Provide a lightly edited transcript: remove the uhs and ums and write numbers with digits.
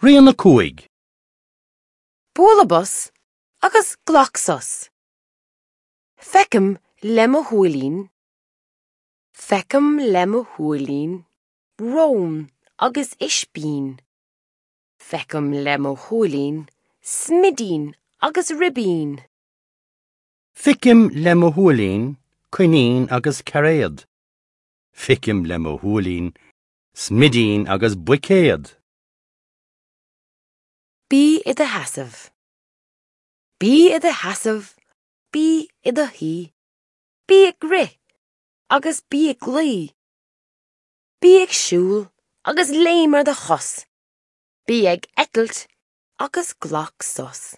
Rian 5. Buail bos agus glac sos. Feicim le mo shúilín, Feicim le mo shúilín rón agus ispín. Feicim le mo shúilín smidín agus ribín. Feicim le mo shúilín coinín agus cairéad. Feicim le mo shúilín smidín agus buicéad. Bí i do sheasamh. Bí i do sheasamh, bí i do shuí, bí ag rith agus bí ag luí. Bí ag siúl agus léim ar do chos. Bí ag eitilt agus glac sos.